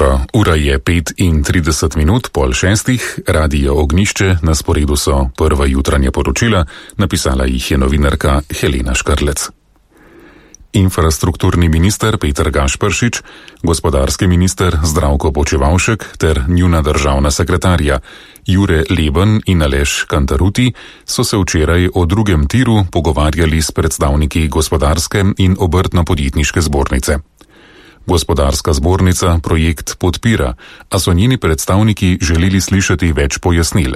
jutro. Ura je 5:30, 5:30, Radio Ognjišče, na sporedu so prva jutranja poročila, napisala jih je novinarka Helena Škrlec. Infrastrukturni minister Peter Gašperšič, gospodarski minister Zdravko Počivalšek ter njuna državna sekretarja Jure Leben in Aleš Kantaruti so se včeraj o drugem tiru pogovarjali s predstavniki gospodarske in obrtno-podjetniške zbornice. Gospodarska zbornica projekt podpira, a so njeni predstavniki želeli slišati več pojasnil.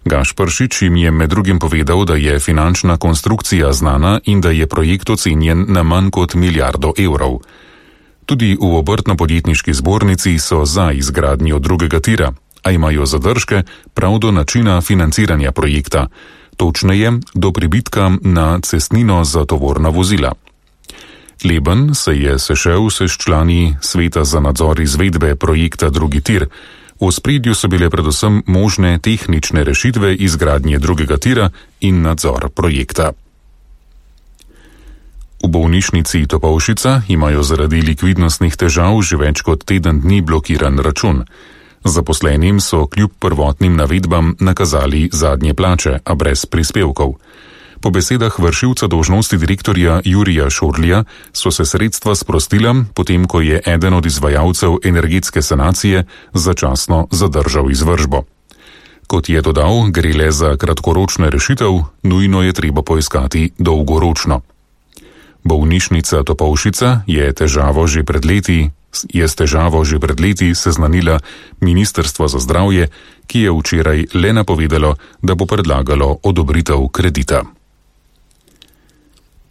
Gašperšič jim je med drugim povedal, da je finančna konstrukcija znana in da je projekt ocenjen na manj kot milijardo evrov. Tudi v obrtno-podjetniški zbornici so za izgradnjo drugega tira, a imajo zadržke prav do načina financiranja projekta, točneje do pribitka na cestnino za tovorna vozila. Leben se je sešel s člani sveta za nadzor izvedbe projekta drugi tir. V ospredju so bile predvsem možne tehnične rešitve izgradnje drugega tira in nadzor projekta. V bolnišnici Topolšica imajo zaradi likvidnostnih težav že več kot teden dni blokiran račun. Zaposlenim so kljub prvotnim navedbam nakazali zadnje plače, a brez prispevkov. Po besedah vršilca dolžnosti direktorja Jurija Šorlija so se sredstva sprostila, potem ko je eden od izvajalcev energetske sanacije začasno zadržal izvršbo. Kot je dodal, gre le za kratkoročno rešitev, nujno je treba poiskati dolgoročno. Bolnišnica Topolšica je s težavo že pred leti seznanila Ministrstvo za zdravje, ki je včeraj le napovedalo, da bo predlagalo odobritev kredita.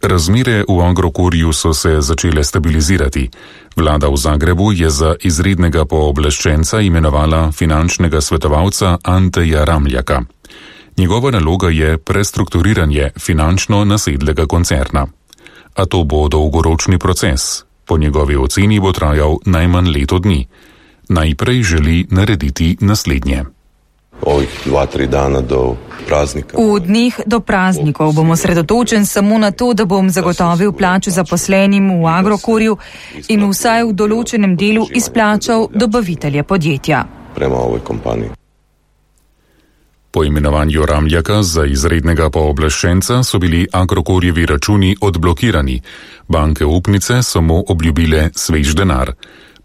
Razmere v Agrokorju so se začele stabilizirati. Vlada v Zagrebu je za izrednega pooblaščenca imenovala finančnega svetovalca Anteja Ramljaka. Njegova naloga je prestrukturiranje finančno nasedlega koncerna. A to bo dolgoročni proces. Po njegovi oceni bo trajal najmanj leto dni. Najprej želi narediti naslednje. Ovih 2-3 dana do praznika. V dneh do praznikov bom osredotočen samo na to, da bom zagotovil plačo zaposlenim v Agrokorju in vsaj v določenem delu izplačal dobavitelje podjetja. Prema ovoj kompaniji. Po imenovanju Ramljaka za izrednega pooblaščenca so bili Agrokorjevi računi odblokirani. Banke upnice so mu obljubile svež denar.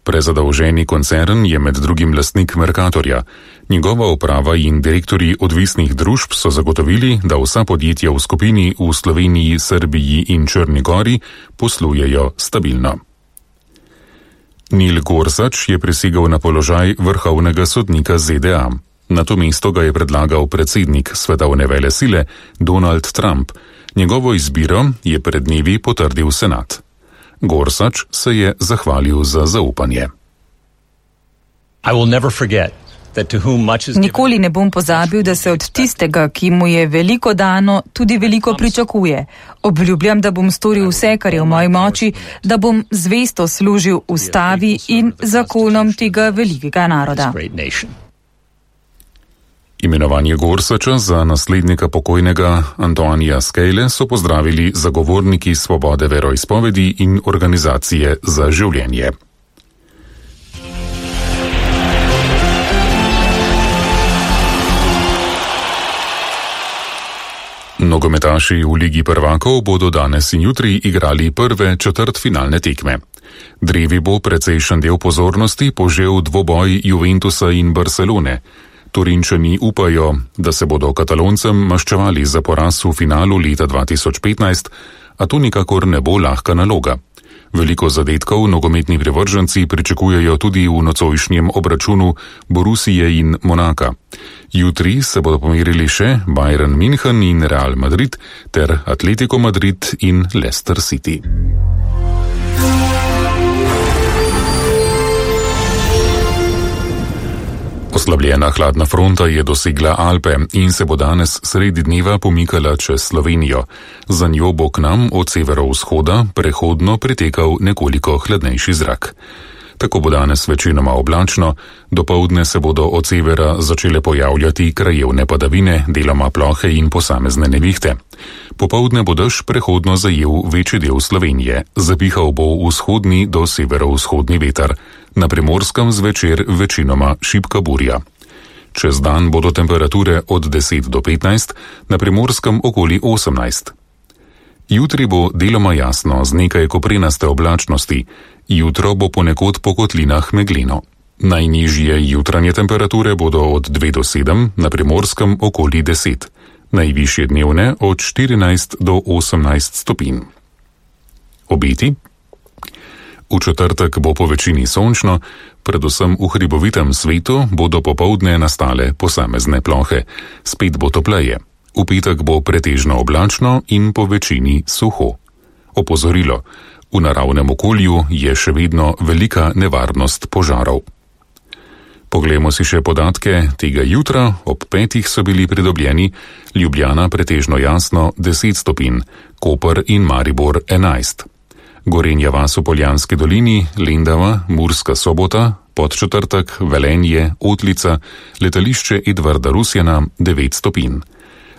Prezadolženi koncern je med drugim lastnik Mercatorja. Njegova uprava in direktorji odvisnih družb so zagotovili, da vsa podjetja v skupini v Sloveniji, Srbiji in Črni Gori poslujejo stabilno. Neil Gorsuch je prisegel na položaj vrhovnega sodnika ZDA. Na to mesto ga je predlagal predsednik svetovne velesile Donald Trump. Njegovo izbiro je pred dnevi potrdil senat. Gorsuch se je zahvalil za zaupanje. Nikoli ne bom pozabil, da se od tistega, ki mu je veliko dano, tudi veliko pričakuje. Obljubljam, da bom storil vse, kar je v moji moči, da bom zvesto služil ustavi in zakonom tega velikega naroda. Imenovanje Gorsucha za naslednika pokojnega Antonia Skale so pozdravili zagovorniki svobode veroizpovedi in organizacije za življenje. Nogometaši v Ligi prvakov bodo danes in jutri igrali prve četrtfinalne tekme. Drevi bo precejšen del pozornosti požel dvoboj Juventusa in Barcelone. Torinčani upajo, da se bodo Kataloncem maščevali za poraz v finalu leta 2015, a to nikakor ne bo lahka naloga. Veliko zadetkov nogometni privrženci pričakujejo tudi v nocojšnjem obračunu Borussije in Monaka. Jutri se bodo pomerili še Bayern München in Real Madrid ter Atletico Madrid in Leicester City. Oslabljena hladna fronta je dosegla Alpe in se bo danes sredi dneva pomikala čez Slovenijo. Za njo bo k nam od severovzhoda prehodno pritekal nekoliko hladnejši zrak. Tako bo danes večinoma oblačno, dopoldne se bodo od severa začele pojavljati krajevne padavine, deloma plohe in posamezne nevihte. Popoldne bo dež prehodno zajel večji del Slovenije, zapihal bo vzhodni do severovzhodni veter. na Primorskem zvečer večinoma šibka burja. Čez dan bodo temperature od 10 do 15, na Primorskem okoli 18. Jutri bo deloma jasno z nekaj koprenaste oblačnosti, jutro bo ponekod po kotlinah megleno. Najnižje jutranje temperature bodo od 2 do 7, na Primorskem okoli 10, najvišje dnevne od 14 do 18 stopinj. Obeti? V četrtek bo po večini sončno, predvsem v hribovitem svetu bodo popoldne nastale posamezne plohe, spet bo topleje. V petek bo pretežno oblačno in po večini suho. Opozorilo: v naravnem okolju je še vedno velika nevarnost požarov. Poglejmo si še podatke tega jutra. Ob 5 so bili pridobljeni Ljubljana pretežno jasno 10 stopinj, Koper in Maribor 11. Gorenja vas v Poljanski dolini, Lendava, Murska Sobota, Podčetrtek, Velenje, Otlica, letališče Edvarda Rusjana 9 stopinj.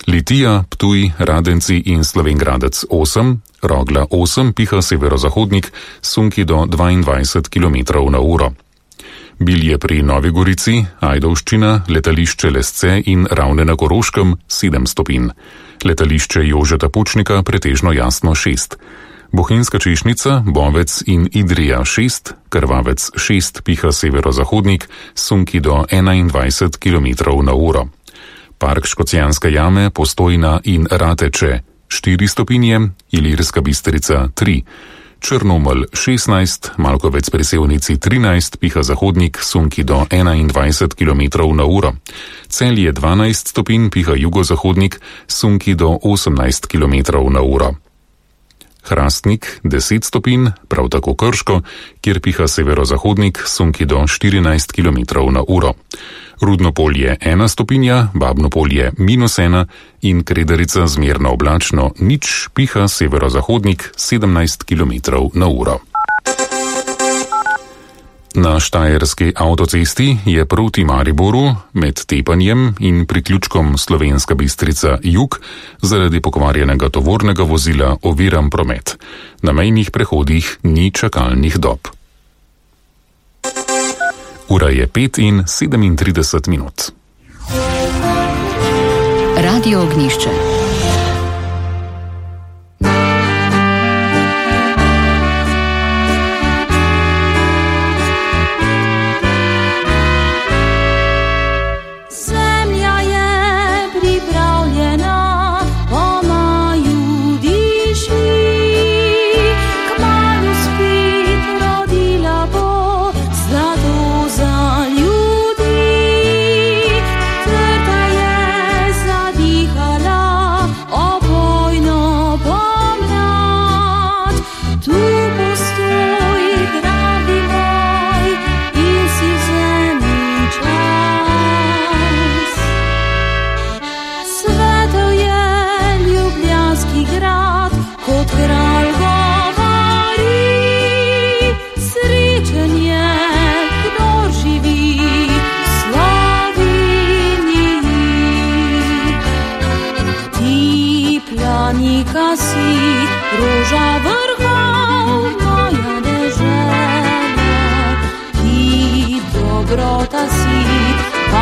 Litija, Ptuj, Radenci in Slovenj Gradec 8, Rogla 8, piha severozahodnik, sunki do 22 km/h. Bilje pri Novi Gorici, Ajdovščina, letališče Lesce in Ravne na Koroškem 7 stopinj. Letališče Jožeta Pučnika pretežno jasno 6. Bohinjska Češnica, Bovec in Idrija 6, Krvavec 6, piha severozahodnik, sunki do 21 km/h. Park Škocjanske jame, Postojna in Rateče 4 stopinje, Ilirska Bistrica 3, Črnomelj 16, Malkovec pri Sevnici 13, piha zahodnik, sunki do 21 km/h. Celje 12 stopinj, piha jugozahodnik, sunki do 18 km/h. Hrastnik 10 stopinj, prav tako Krško, kjer piha severozahodnik, sunki do 14 km/h. Rudno polje 1 stopinja, Babno polje -1 in Kredarica zmerno oblačno 0, piha severozahodnik 17 km/h. Na Štajerski avtocesti je proti Mariboru med Tepanjem in priključkom Slovenska Bistrica jug zaradi pokvarjenega tovornega vozila oviran promet. Na mejnih prehodih ni čakalnih dob. Ura je 5:37. Radio Ognjišče.